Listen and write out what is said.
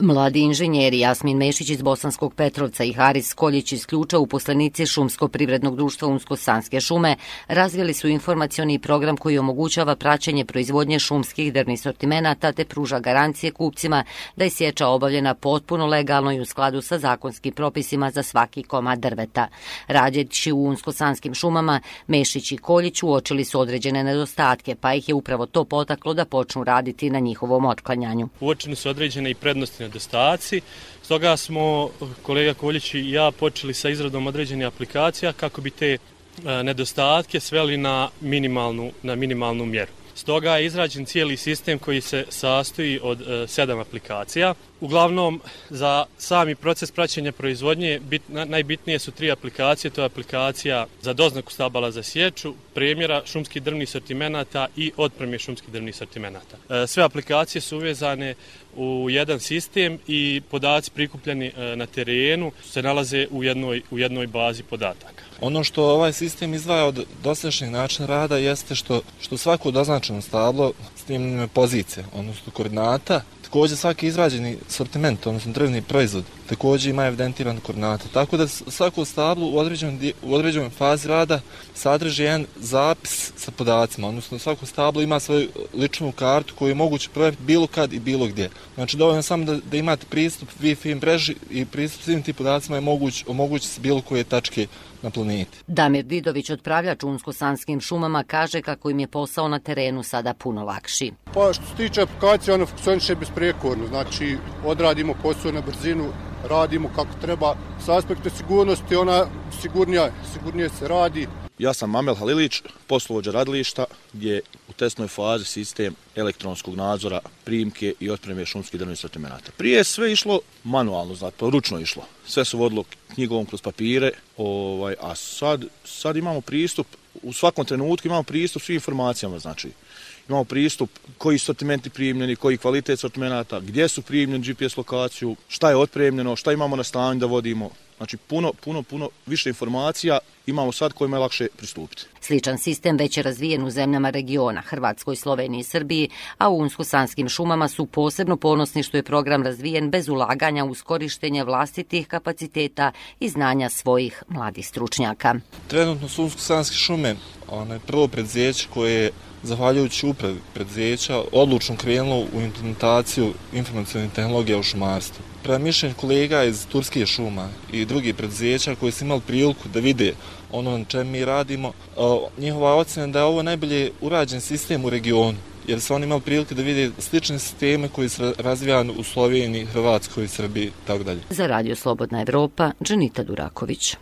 Mladi inženjeri Jasmin Mešić iz Bosanskog Petrovca i Haris Koljić iz Ključa, uposlenici Šumsko-privrednog društva Unsko-Sanske šume, razvili su informacioni program koji omogućava praćenje proizvodnje šumskih drvnih sortimenata te pruža garancije kupcima da je sječa obavljena potpuno legalno i u skladu sa zakonskim propisima za svaki komad drveta. Radeći u Unsko-Sanskim šumama, Mešić i Koljić uočili su određene nedostatke, pa ih je upravo to potaklo da počnu raditi na njihovom otklanjanju. Uočene su određene i prednosti nedostaci, stoga smo kolega Koljić i ja počeli sa izradom određenih aplikacija kako bi te nedostatke sveli na minimalnu mjeru. Stoga je izrađen cijeli sistem koji se sastoji od 7 aplikacija. Uglavnom, za sami proces praćenja proizvodnje najbitnije su 3 aplikacije. To je aplikacija za doznaku stabala za sječu, premjera šumskih drvnih sortimenata i otpremje šumskih drvnih sortimenata. Sve aplikacije su uvezane u jedan sistem i podaci prikupljeni na terenu se nalaze u jednoj bazi podataka. Ono što ovaj sistem izdvaja od dosadašnjeg načina rada jeste što svako doznačeno stablo snimljene pozicije, odnosno koordinata. Također svaki izrađeni sortiment, odnosno drvni proizvod, također ima evidentirane koordinate. Tako da svako stablo u određenoj fazi rada sadrži jedan zapis sa podacima, odnosno svako stablo ima svoju ličnu kartu koju je moguće provjeriti bilo kad i bilo gdje. Znači dovoljno samo da imate pristup Wi-Fi mreži i pristup svim tim podacima je omogući se bilo koje tačke na planeti. Damir Didović, otpravljač u Unsko-Sanskim šumama, kaže kako im je posao na terenu sada puno lakši. Pa što se tiče aplikacije, ono funkcioniše besprijekorno, znači odradimo posao na brzinu, radimo kako treba. S aspekta sigurnosti ona sigurnije se radi. Ja sam Amel Halilić, poslovođa radilišta, gdje u testnoj fazi sistem elektronskog nadzora primke i otpreme šumskih drvnih sortimenata. Prije je sve išlo manualno, znači ručno išlo. Sve se vodilo knjigovom kroz papire, a sad imamo pristup, u svakom trenutku imamo pristup svim informacijama, znači. Imamo pristup koji sortimenti primljeni, koji kvalitet sortimenata, gdje su primljeni GPS lokaciju, šta je otpremljeno, šta imamo na stanju da vodimo. Znači puno više informacija imamo sad kojima je lakše pristupiti. Sličan sistem već je razvijen u zemljama regiona, Hrvatskoj, Sloveniji i Srbiji, a u Unsko-Sanskim šumama su posebno ponosni što je program razvijen bez ulaganja uz korištenje vlastitih kapaciteta i znanja svojih mladih stručnjaka. Trenutno su Unsko-Sanske šume prvo preduzeće koje je, zahvaljujući upravi preduzeća, odlučno krenulo u implementaciju informacionih tehnologija u šumarstvu. Prema mišljenju kolega iz Turskih šuma i drugih preduzeća koji su imali priliku da vide ono na čemu mi radimo, njihova ocjena da je ovo najbolje urađen sistem u regionu, jer su oni imali prilike da vide slične sisteme koji su razvijani u Sloveniji, Hrvatskoj, Srbiji itd. Za Radio Slobodna Evropa, Dženita Duraković.